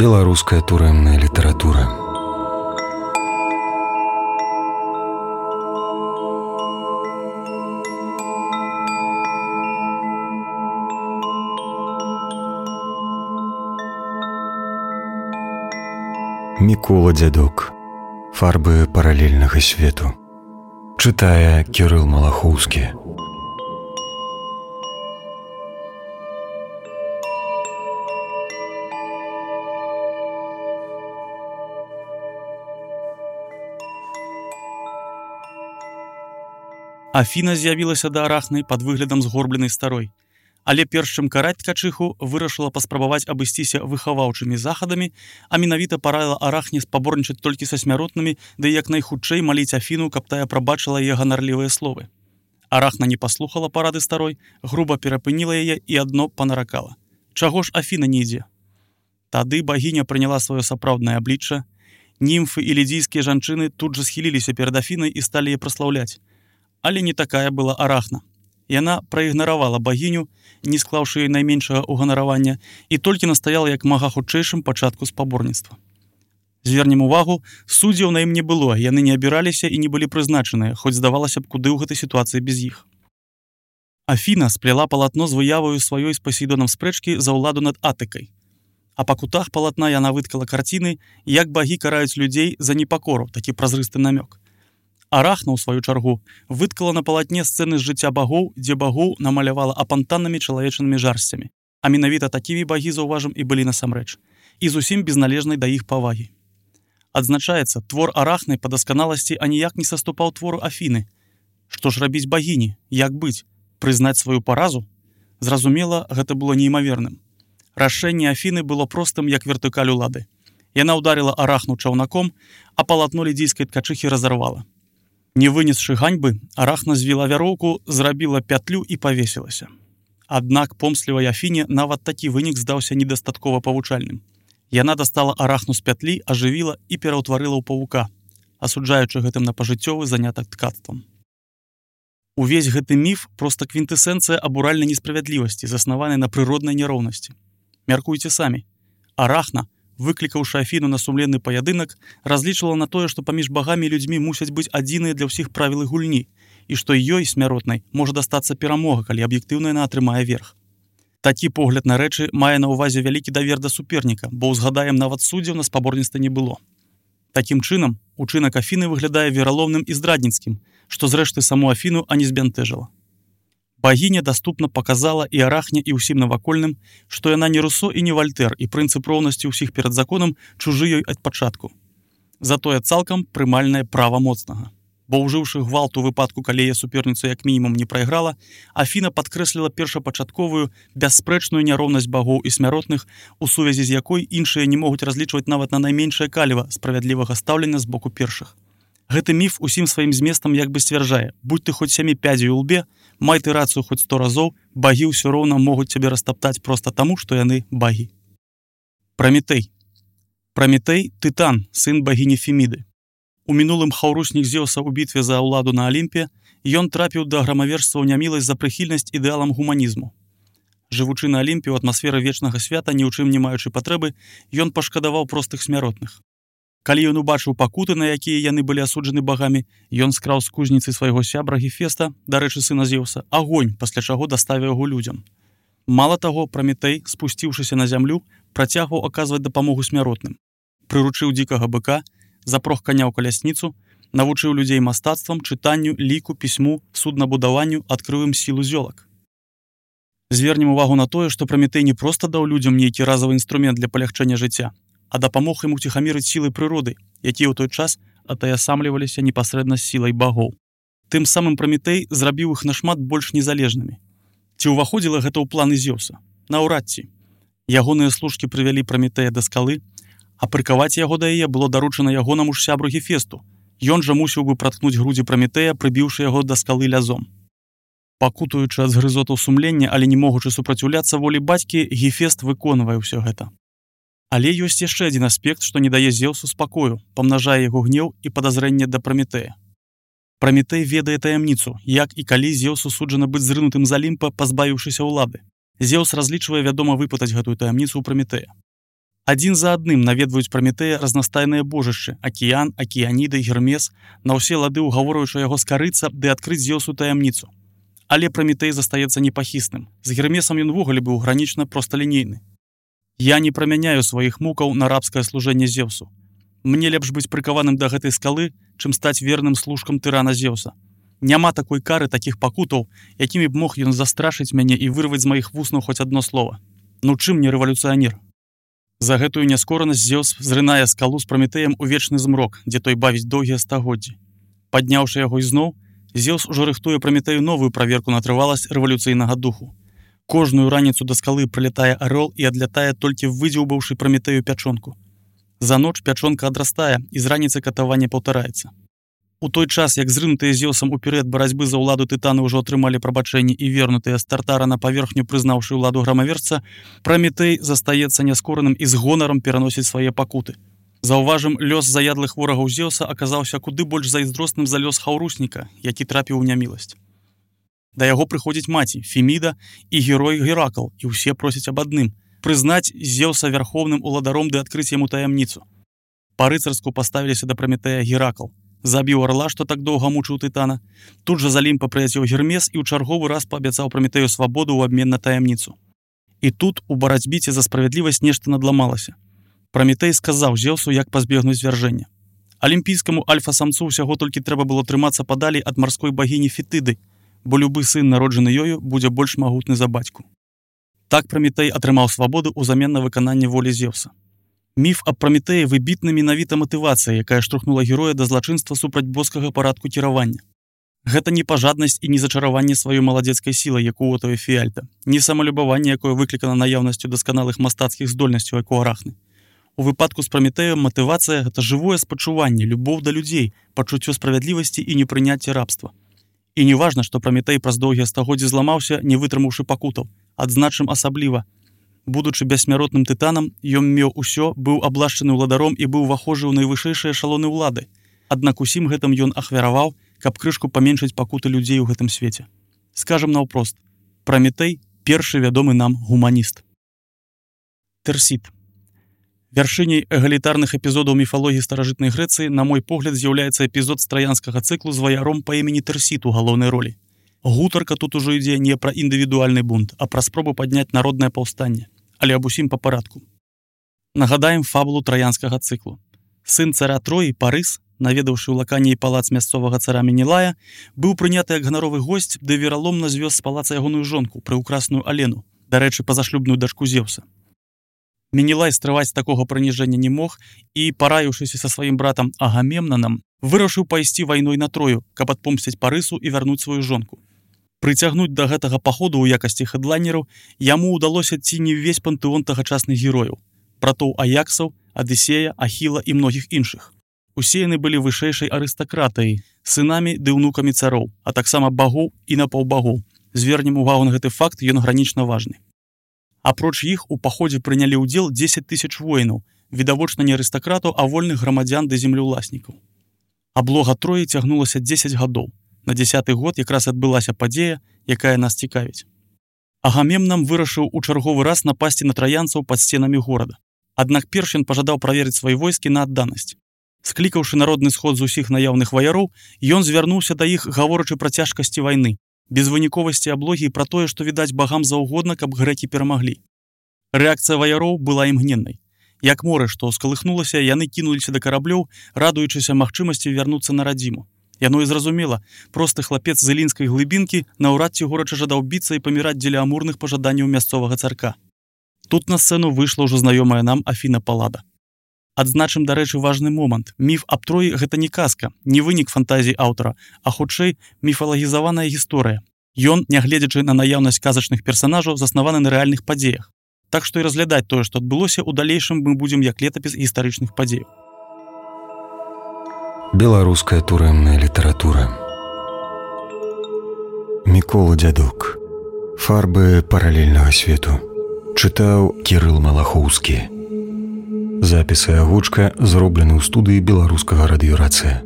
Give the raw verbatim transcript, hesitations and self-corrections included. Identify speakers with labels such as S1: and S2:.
S1: Беларуская турэмная літаратура. Мікола Дзядок. Фарбы паралельнага свету. Чытае Кірыл Малахоўскі.
S2: Афіна з'явілася да Арахны пад выглядам згорбленай старой. Але перш чым караць ткачыху, вырашыла паспрабаваць абысціся выхаваўчымі захадамі, а менавіта параіла Арахне спаборнічаць толькі са смяротнымі, ды як найхутчэй маліць Афіну, каб тая прабачыла яе ганарлівыя словы. Арахна не паслухала парады старой, груба перапыніла яе і адно панаракала. Чаго ж Афіна не ідзе? Тады багіня прыняла сваё сапраўднае аблічча. Німфы і лідзійскія жанчыны тут жа схіліліся перад Афінай і сталі яе праслаўляць. Але не такая была Арахна. Яна праігнаравала багіню, не склаўшы ёй найменшага ўганаравання, і толькі настаяла як мага хутчэйшым пачатку спаборніцтва. Звернем увагу, суддзяў на ім не было, яны не абіраліся і не былі прызначаныя, хоць здавалася б, куды ў гэтай сітуацыі без іх. Афіна сплела палатно з выяваю сваёй з Пасейдонам спрэчкі за ўладу над Атыкай. А па кутах палатна яна выткала карціны, як багі караюць людзей за непакору, такі празрысты намёк. Арахна, у сваю чаргу, выткала на палатне сцэны з жыцця багоў, дзе багоў намалявала апантаннымі чалавечанымі жарсцямі. А менавіта такімі багі, заўважым, і былі насамрэч. І зусім безналежнай да іх павагі. Адзначаецца, твор Арахны па дасканаласці аніяк не саступаў твору Афіны. Што ж рабіць багіні? Як быць? Прызнаць сваю паразу? Зразумела, гэта было неймаверным. Рашэнне Афіны было простым, як вертыкаль улады. Яна ўдарыла Арахну чаўнаком, а палатно лідзійскай ткачыхі разарвала. Не вынесшы ганьбы, Арахна звіла вяроўку, зрабіла пятлю і павесілася. Аднак помслівай Афіне нават такі вынік здаўся недастаткова павучальным. Яна дастала Арахну з пятлі, ажывіла і пераўтварыла ў павука, асуджаючы гэтым на пажыццёвы занятак ткацтвам. Увесь гэты міф проста квінтэсэнцыя абуральнай несправядлівасці, заснаванай на прыроднай няроўнасці. Мяркуйце самі. Арахна, выклікаўшы Афіну на сумленны паядынак, разлічвала на тое, што паміж багамі і людзьмі мусяць быць адзіныя для ўсіх правілы гульні, і што ёй, смяротнай, можа дастацца перамога, калі аб'ектыўна яна атрымае верх. Такі погляд на рэчы мае на ўвазе вялікі давер да суперніка, бо ўзгадаем, нават суддзяў на спаборніцтве не было. Такім чынам, учынак Афіны выглядае вераломным і здрадніцкім, што зрэшты саму Афіну ані збянтэжыла. Багіня даступна паказала і Арахне, і ўсім навакольным, што яна не Русо і не Вальтэр, і прынцып роўнасці ўсіх перад законам чужы ёй ад пачатку. Затое цалкам прымальнае права моцнага. Бо ўжыўшы гвалт у выпадку, калі яе суперніцу як мінімум не прайграла, Афіна падкрэсліла першапачатковую, бясспрэчную няроўнасць багоў і смяротных, у сувязі з якой іншыя не могуць разлічваць нават на найменшае каліва справядлівага стаўлення з боку першых. Гэты міф усім сваім зместам як бы сцвярджае: будь ты хоць сямі пядзей у лбе, май ты рацыю хоць сто разоў, багі ўсё роўна могуць цябе растаптаць проста таму, што яны багі. Прамітэй. Прамітэй – тытан, сын багіні Феміды. У мінулым хаўруснік Зеўса ў бітве за ўладу на Алімпе, ён трапіў да грамавержства ў няміласць за прыхільнасць ідэалам гуманізму. Жывучы на Алімпе ў атмасферы вечнага свята, ні ў чым не маючы патрэбы, ён пашкадаваў простых смяротных. Калі ён убачыў пакуты, на якія яны былі асуджаны багамі, ён скраў з кузніцы свайго сябра Гефеста, дарэчы, сына Зеўса, агонь, пасля чаго даставіў яго людзям. Мала таго, Прамітэй, спусціўшыся на зямлю, працягваў аказваць дапамогу смяротным. Прыручыў дзікага быка, запрог каня ў калясніцу, навучыў людзей мастацтвам, чытанню, ліку, пісьму, суднабудаванню, адкрыў ім сілу зёлак. Звернем увагу на тое, што Прамітэй не проста даў людзям нейкі разавы інструмент для палягчэння жыцця, а дапамог ім уціхамірыць сілы прыроды, якія ў той час атаясамліваліся непасрэдна з сілай багоў. Тым самым Прамітэй зрабіў іх нашмат больш незалежнымі. Ці ўваходзіла гэта ў планы Зеўса? Наўрад ці. Ягоныя служкі прывялі Прамітэя да скалы, а прыкаваць яго да яе было даручана ягонаму ж сябру Гефесту. Ён жа мусіў бы праткнуць грудзі Прамітэя, прыбіўшы яго да скалы лязом. Пакутуючы ад згрызотаў сумлення, але не могучы супраціўляцца волі бацькі, Гефест выконвае ўсё гэта. Але ёсць яшчэ адзін аспект, што не дае Зеўсу спакою, памнажае яго гнеў і падазрэнне да Прамітэя. Прамітэй ведае таямніцу, як і калі Зеўсу суджана быць зрынутым з Алімпа, пазбавіўшыся ўлады. Зеўс разлічвае, вядома, выпытаць гэтую таямніцу ў Прамітэя. Адзін за адным наведваюць Праметэя разнастайныя божышчы: акіян, акіяніда, Гермес, на ўсе лады ўгаворваючы яго скарыцца ды адкрыць Зеўсу таямніцу. Але Праметэй застаецца непахісным. З Гермесам ён ввогуле быў гранічна просталінейны. Я не прамяняю сваіх мукаў на рабскае служэнне Зеўсу. Мне лепш быць прыкаваным да гэтай скалы, чым стаць верным служкам тырана Зеўса. Няма такой кары, такіх пакутаў, якімі б мог ён застрашыць мяне і вырваць з маіх вуснаў хоць адно слова. Ну чым не рэвалюцыянер? За гэтую няскоранасць Зеўс зрынае скалу з Праметэем у вечны змрок, дзе той бавіць доўгія стагоддзі. Падняўшы яго ізноў, Зеўс ужо рыхтуе Праметэю новую праверку на трываласць рэвалюцыйнага духу. Кожную раніцу да скалы прылятае арол і адлятае толькі выдзеўбаўшы Праметэю пячонку. За ноч пячонка адрастае, і з раніцы катаванне паўтараецца. У той час, як зрынутыя Зеўсам уперед барацьбы за ўладу тытаны ўжо атрымалі прабачэнне і вернутыя з Тартара на паверхню, прызнаўшы ўладу грамаверца, Праметэй застаецца няскораным і з гонарам пераносіць свае пакуты. Заўважым, лёс заядлых ворагаў Зеўса аказаўся куды больш зайздросным за лёс хаўрусніка, які трапіў у няміласць. Да яго прыходзіць маці, Феміда і герой Геракл, і ўсе просяць аб адным – прызнаць Зеўса вярхоўным уладаром ды адкрыць яму таямніцу. Па-рыцарску паставіліся да Праметэя Геракл. Забіў арла, што так доўга мучыў тытана. Тут жа за Алімпа прыляцеў Гермес і ў чарговы раз паабяцаў Праметэю свабоду ў абмен на таямніцу. І тут у барацьбіце за справядлівасць нешта надламалася. Праметэй сказаў Зеўсу, як пазбегнуць звяржэння. Алімпійскаму альфа-самцу ўсяго толькі трэба было трымацца падалей ад марской багіні Фетыды, бо любы сын, народжаны ёю, будзе больш магутны за бацьку. Так Праметэй атрымаў свабоду ўзамен на выкананне волі Зеўса. Міф аб Праметэі выбітна менавіта матывацыя, якая штурхнула героя да злачынства супраць боскага парадку кіравання. Гэта не пажаднасць і не зачараванне сваёй маладзецкай сілай, як у Отава Фіальта, не самалюбаванне, якое выклікана наяўнасцю дасканалых мастацкіх здольнасцяў, як у Арахны. У выпадку з Праметэем матывацыя – гэта жывое спачуванне, любоў да людзей, пачуццё справядлівасці і непрыняцце рабства. І не важна, што Праметэй праз доўгія стагоддзі зламаўся, не вытрымаўшы пакутаў. Адзначым асабліва. Будучы бессмяротным тытанам, ён меў усё, быў аблашчаны ўладаром і быў вахожы ў найвышэйшыя эшалоны ўлады. Аднак усім гэтым ён ахвяраваў, каб крышку паменшыць пакуты людзей у гэтым свеце. Скажам наўпрост, Праметэй – першы вядомы нам гуманіст. Тэрсіт. Вяршыняй эгалітарных эпізодаў міфалогіі старажытнай Грэцыі, на мой погляд, з'яўляецца эпізод з траянскага цыклу з ваяром па імені Тэрсіт у галоўнай ролі. Гутарка тут ужо ідзе не пра індывідуальны бунт, а пра спробу падняць народнае паўстанне, але аб усім па парадку. Нагадаем фабулу траянскага цыклу. Сын цара Троі, Парыс, наведаўшы ў лаканій палац мясцовага цара Менелая, быў прыняты як ганаровы госць, ды вераломна звёз з палаца ягоную жонку, прыўкрасную Алену, дарэчы, пазашлюбную дачку Зеўса. Менелай стрываць такога прыніжэння не мог і, параіўшыся са сваім братам Агамемнанам, вырашыў пайсці вайной на Трою, каб адпомсціць Парысу і вярнуць сваю жонку. Прыцягнуць да гэтага паходу ў якасці хэдлайнераў яму ўдалося ці не ўвесь пантэон тагачасных герояў, братоў Аяксаў, Адысея, Ахіла і многіх іншых. Усе яны былі вышэйшай арыстакратыяй, сынамі ды ўнукамі цароў, а таксама багоў і напаўбагоў. Звернем увагу на гэты факт, ён гранічна важны. Апроч іх у паходзе прынялі ўдзел дзесяць тысяч воінаў, відавочна не арыстакратаў, а вольных грамадзян ды землеўласнікаў. Аблога Троі цягнулася дзесяць гадоў. На дзесяты год якраз адбылася падзея, якая нас цікавіць. Агамемнам вырашыў у чарговы раз напасці на траянцаў пад сценамі горада. Аднак перш ён пажадаў праверыць свае войскі на адданасць. Склікаўшы народны сход з усіх наяўных ваяроў, ён звярнуўся да іх, гаворачы пра цяжкасці вайны, безвыніковасці аблогі і пра тое, што відаць багам заўгодна, каб грэкі перамаглі. Рэакцыя ваяроў была імгненнай. Як море, што скалыхнулася, яны кінуліся да караблёў, радуючыся магчымасці вярнуцца на радзіму. Яно і зразумела, просты хлапец з ілінскай глыбінкі наўрад ці горача жадаў біцца і паміраць дзеля амурных пажаданняў мясцовага царка. Тут на сцэну выйшла ўжо знаёмая нам Афіна Паллада. Адзначым, дарэчы, важны момант. Міф аб Троі – гэта не казка, не вынік фантазій аўтара, а хутчэй міфалагізаваная гісторыя. Ён, нягледзячы на наяўнасць казачных персанажаў, заснаваны на рэальных падзеях. Так што і разглядаць тое, што адбылося, у далейшым мы будзем як летапіс гістарычных падзеяў.
S1: Беларуская турэмная літаратура. Мікола Дзядук. Фарбы паралельнага свету. Чытаў Кірыл Малахоўскі. Запіс і агучка зроблены ў студыі беларускага радыёрацыя.